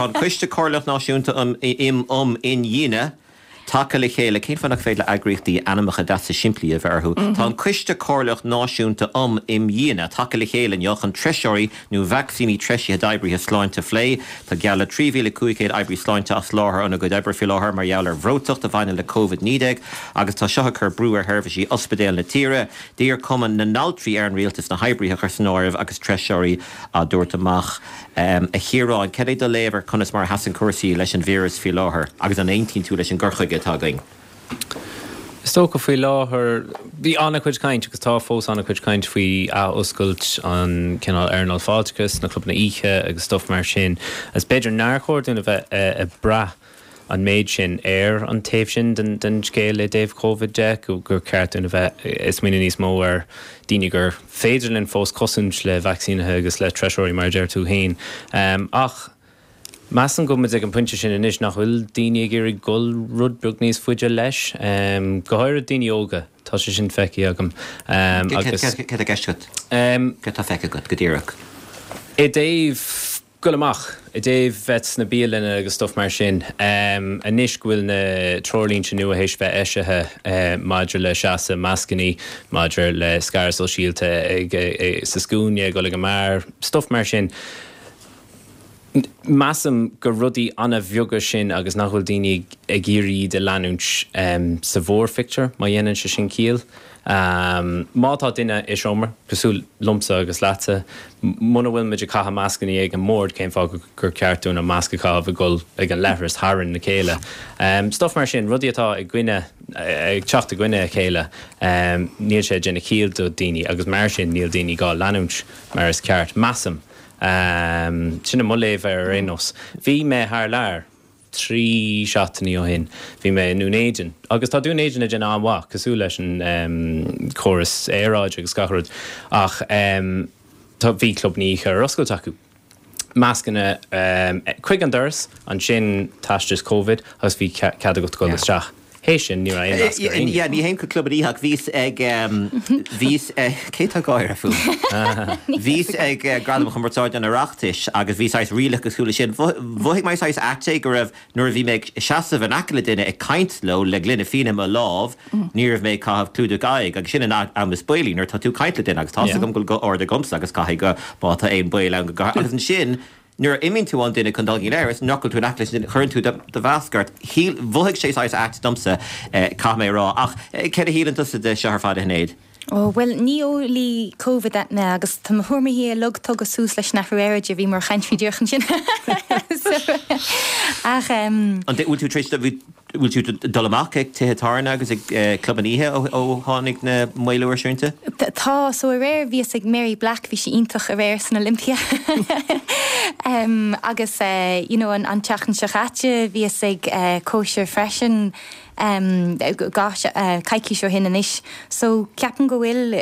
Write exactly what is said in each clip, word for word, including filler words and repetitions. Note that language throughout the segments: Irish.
Tá an Coiste Comhairleach Náisiúnta um im um Imdhíonadh tagtha le chéile cén fáth nach féidir le eagraíochtaí ainmneacha deasa simplí a bheith orthu. Tá an Coiste Comhairleach Náisiúnta um Imdhíonadh tagtha le chéile inniu chun treiseoirí nó vacsaíní treisithe d'oibrithe sláinte a phlé, Tá geall le trí mhíle cúig chéad oibrí sláinte as láthair óna gcuid oibre faoi láthair mar gheall ar bhreoiteacht a bhaineann le Covid naoi déag agus tá seo ag cur brú ar sheirbhísí ospidéal na tíre. D'iarr Cumann na nAltraí ar an rialtas na hoibrithe a chur san áireamh agus treiseoirí á dtabhairt amach. A Chiaráin, cad é do léamh ar conas mar a sheasann cúrsaí leis an víreas faoi láthair agus an aontaíonn tú leis an gcur chuige atá againn? Is dócha faoi láthair, bhí an-chuid caint agus tá fós an-chuid caint faoi athoscailt an cineál earnáil fáilteachais, na clubanna oíche agus stuff mar sin. Is b'fhéidir nár chóir dúinn a bheith ag brath an méid sin ar an taobh sin den den scéal i dtaobh Covid de, gur ceart dúinn a bheith ag smaoineamh níos mó ar daoine gur féidir linn fós cosaint le vacsaínithe agus le treiseoirí mar a deir tú féin. Ach measaim go bhfuil muid ag an pointe sin anois nach bhfuil daoine ag iarraidh dul rud beag níos faide leis, go háirithe daoine óga, tá sé sin feicthe agam. Agus. Cad tá i gceist agat? Cad tá feicthe agat go díreach? I dtaobh dul amach, i dtaobh bheith sna bialanna agus stuff mar sin, anois go bhfuil na treoirlínte nua théis bheith eisithe maidir le seasamh, mascannaí, maidir le scaradh sóisialta ag sa scuaine, ag dul ag an mbeár, stuff mar sin. Measaim gur rudaí an-bheaga sin agus nach bhfuil daoine ag iarraidh iad a leanúint sa mhórphictiúr, má dhéanann sé sin ciall. Má tá duine i seomra, cosúil liomsa agus leatsa, muna bhfuil muid ag caitheamh mascannaí ag an mbord, cén fáth gur ceart dúinn an masc a chaitheamh ag dul ag an leithreas tharainn a chéile? Stuff mar sin, rudaí atá i gcoinne, ag teacht i gcoinne a chéile, níl sé ag déanamh ciall do daoine agus mar sin níl daoine dhá leanúint mar is ceart, measaim. Sin é mo léamh air ar aon nós. Bhí mé thar lear trí seachtainí ó shin. Bhí mé i nDún Éideann. Agus tá Dún Éideann ag déanamh an-mhaith, cosúil leis an córas aeráide agus gach rud, ach tá, bhí clubanna oíche ar oscailt acu. Mascanna chuig an doras, ansin teastas Covid agus bhí cead agat dul isteach. Théis sin, ní raibh aon nasc ar éinne. Yeah, ní théim chuig club oíche ach bhíos ag, bhíos ag, cé tá ag gáire fúm? Bhíos ag Gradaim Chumarsáide an Oireachtais agus bhí saghas rialacha cosúil leis sin. Mhothaigh mé saghas ait é go raibh, nuair a bhí mé ag seasamh in aice le duine ag caint leo le gloine fíona i mo lámh, ní raibh mé ag caitheamh clúdach aghaidh agus sin an am is baolaí nuair atá tú ag caint le duine agus tá's agam go bhfuil guth ard agamsa agus caithfidh go, má tá aon baol ann go gcaithfidh, agus ansin, Nuair a imíonn tú ón duine chun dul go dtí an leithreas, nach bhfuil tú in aice leis an duine, cuireann tú do mhasc ort. Shíl, mhothaigh sé saghas ait domsa, caithfidh mé a rá. Ach céard a shíleann tusa de seo ar fad, a Shinéad? Ó, bhuel, ní eolaí Covid mé agus tá mo thuairimí uilig tugtha suas leis an athrú aeráide, bhíomar ag caint faoi díreach ansin. So, ach. An bhfuil tú tar éis, bhfuil tú ag dul amach ag tithe tábhairne agus ag clubanna oíche ó tháinig na maolú ar srianta? Tá, so aréir bhíos ag Mary Black, bhí sí iontach aréir san Olympia agus you know an tseachtain seo chaite bhíos ag cóisir freisin dhá coicís ó shin anois so ceapaim go bhfuil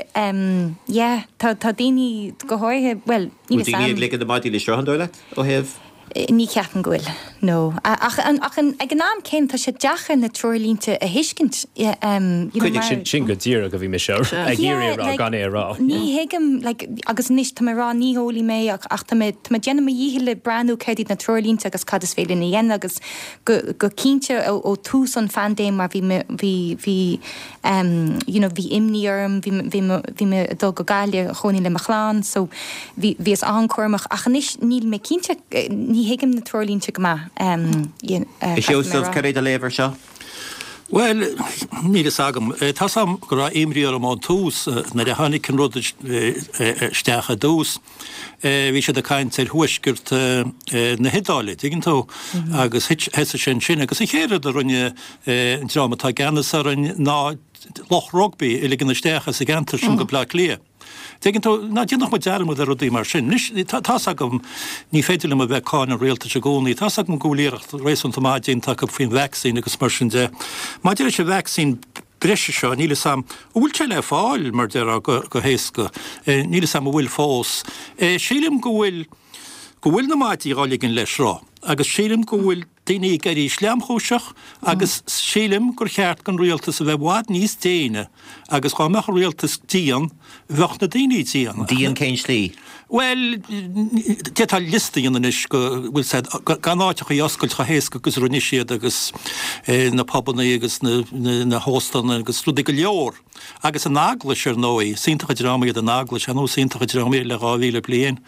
yeah tá tá daoine go háirithe bhuel níl fhios Bhfuil daoine a'm. ag ligean na maidí le sruth an dóigh leat ó thaobh? Ní cheapaim go bhfuil, no. Ach ach ag an am céanna tá sé deacair na treoirlínte a thuiscint, you know, mar. Sin sin go díreach a bhí mise ag iarraidh a rá gan é a rá. Ní thuigim, like, agus anois tá mé ag rá ní heolaí mé ach ach tá mé tá mé ag déanamh mo dhícheall le breathnú céard iad na treoirlínte agus cad is féidir linn a dhéanamh agus go go cinnte ó ó tús an phaindéim mar bhí mé bhí bhí you know bhí imní orm, bhí bhí bhí mé ag dul go Gaillimh a chónaí le mo chlann so bhí bhíos an-chúramach ach anois níl mé cinnte, ní thuigim na treoirlínte go maith A Sheosaimh, cad é do léamh ar seo? Bhuel, níl fhios agam. Tá's agam go raibh imní orm ón tús nuair a tháinig an rud isteach i dtús. Bhí siad ag caint ar thuaisceart na hIodáile, tuigeann tú, agus thosaigh sé ansin. Agus an chéad rud a rinne an dream atá i gceannas orainn ná lucht rugbaí a ligean isteach as an gceantar sin go Bleá Cliath. Tuigeann tú, ná déanadh muid dearmad ar rudaí mar sin. Anois, tá's agam, ní féidir liom a bheith ag cáineadh an rialtais i gcónaí, tá's agam go bhfuil iarracht réasúnta maith déanta acu faoin vacsaín agus mar sin de. Maidir leis an vacsaín breise seo, níl fhios a'm, an bhfuil sé le fáil, mar déarfá, go, go héasca? Níl fhios a'm an bhfuil fós. Sílim go bhfuil, go bhfuil na maidí dhá ligean le sruth agus sílim go bhfuil, daoine ag éirí sleamchúiseach agus sílim gur cheart don rialtas a bheith i bhfad níos déine agus dhá mbeadh an rialtas dian, bheadh na daoine dian. Dian cén slí? Bhuel, d'fhéadfá liosta a dhéanamh anois go bhfuil said gan áiteachaí a oscailt chomh héasca agus a rinne siad agus na pubannaí agus na hóstanna agus rudaí go leor. Agus an Eaglais, ar ndóigh, is iontach an dream iad an Eaglais, ar ndóigh is iontach an dream iad le dhá mhíle bliain,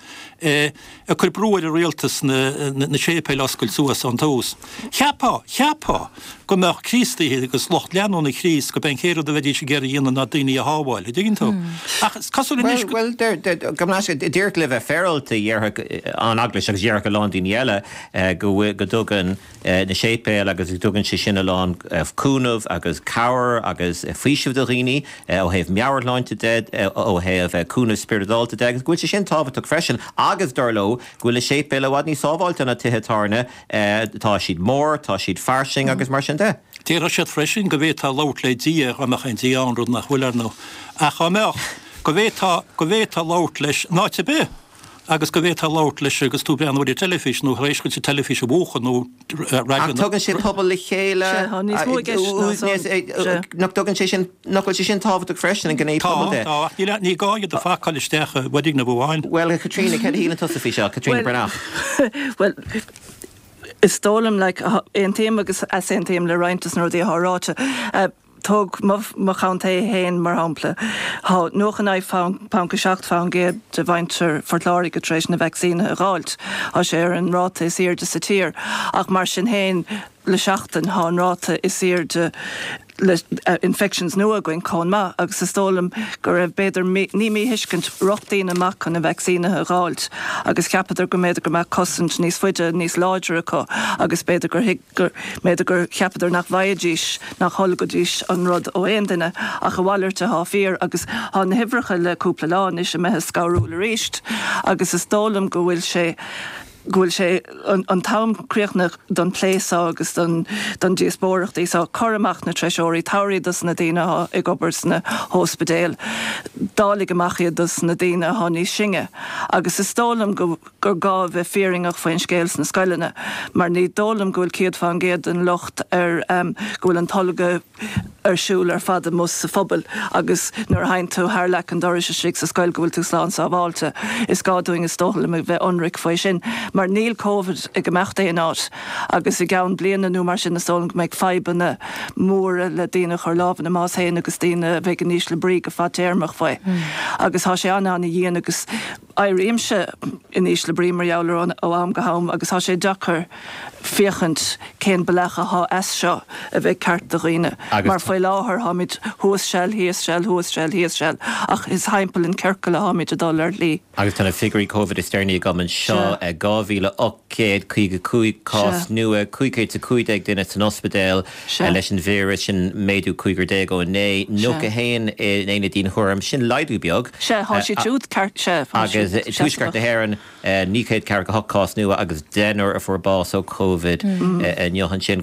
ag cur brú ar an rialtas na séipéil a oscailt suas ón tús. Cheapfá, cheapfá go mbeadh Críostaithe agus lucht leanúna Chríost, gurb é an chéad rud a bheidís ag iarraidh a dhéanamh ná daoine a shábháil, an dtuigeann tú? Ach is cosúil anois go. Bhuel, gabh mo leithscéal, díreach le bheith féaráilte, dhéarfadh an Eaglais agus dhéarfadh a lán daoine eile go bhfuil, go dtugann na séipéil agus go dtugann sé sin a lán cúnamh agus cabhair agus faoiseamh do dhaoine ó thaobh meabhairshláinte de, ó thaobh cúnamh spioradálta de agus go bhfuil sé sin tábhachtach freisin agus dar leo go bhfuil na séipéil i bhfad níos sábháilte ná tithe tábhairne, tá siad mór, tá siad fairsing agus mar sin de. Déarfadh siad freisin go bhféadfá labhairt le Dia dá mbeadh aon Dia ann, rud nach bhfuil ar ndóigh, ach dá mbeadh, go bhféadfá, go bhféadfá labhairt leis in áit ar bith. agus go bhféadfá labhairt leis agus tú ag breathnú ar an teilifís nó tar éis duit an teilifís a mhúchadh nó raidió Ach tugann sé pobal le chéile. Sea, tá níos mó i gceist ná san. Sea. Nach dtugann sé sin, nach bhfuil sé sin tábhachtach freisin, an gné Tá, pobail de? tá, ach níl, ní gá iad a phacáil isteach i bhfoirgneamh amháin. Bhuel, a Chaitríona, céard a shíleann tusa faoi seo? Caitríona Bhuel, Breathnach. bhuel, is dóigh liom, like, aontaím agus easaontaím le roinnt des na rudaí atá ráite. Tóg mo chontae féin mar shampla. Tá nócha naoi ponc a seacht faoin gcéad de mhuintir Phort Láirge tar éis na vacsaínithe a dh'fháilt. Tá sé ar an ráta is airde sa tír. Ach mar sin féin, le seachtain tá an ráta is airde le infections nua againn chomh maith agus is dóigh liom go raibh b'fhéidir, ní míthuiscint, rith daoine amach chun na vacsaínithe a dh'fháilt agus cheapadar go mb'fhéidir go mbeadh cosaint níos faide, níos láidre acu agus b'fhéidir gur thuig gur mb'fhéidir gur cheapadar nach bhfaighidís, nach dtolgfaidís an rud ó aon duine, ach a mhalairt atá fíor agus tá na huimhreacha le cúpla lá anois imithe scanrúil arís agus is dóigh liom go bhfuil sé, go bhfuil sé an t-am críochnaithe don plé seo agus don don díospóireachtaí seo. Cuir amach na treisitheoirí, tabhair iad dos na daoine atá ag obair sna hóspidéil, dáiligh amach iad dos na daoine atá níos sine agus is dóigh liom go gur gá a bheith fírinneach faoin scéal sna scoileanna mar ní dóigh liom go bhfuil céad faoin gcéad den locht ar go bhfuil an tolgadh ar siúl ar fad amuigh sa phobal agus nuair a théann tú thar leac an dorais istigh sa scoil go bhfuil tú slán sábháilte. Is gá dúinn is dóigh liom a bheith ionraic faoi sin mar níl Covid ag imeacht aon áit agus i gceann bliana nó mar sin is dóigh liom go mbeidh fadhbanna móra le daoine a chur lámh ina mbás féin agus daoine a bheidh in ísle brí go fadtéarmach faoi agus tá sé an-an-dhian agus Éirímse in ísle brí mar gheall air ó am go ham agus tá sé deacair féachaint cén bealach atá as seo a bheidh ceart do dhaoine. Mar faoi láthair táimid thuas seal, thíos seal, thuas seal, thíos seal ach is thimpeall an ciorcal atáimid ag dul ar shlí. Agus tá na figiúirí Covid is deireanaí agam anseo, dhá mhíle ocht gcéad caoga cúig cás nua, cúig chéad is a cúig déag duine san ospidéal leis an víreas, sin méadú cúigear déag ó inné, nócha haon in aonad dianchúraim, sin laghdú beag. Sea, tá siad siúd ceart, sea, tá Agus siad i dtuaisceart na seasmhach. hÉireann, naoi chéad ceathracha hocht cás nua agus deichniúr a fuair bás ó Covid inniu ansin.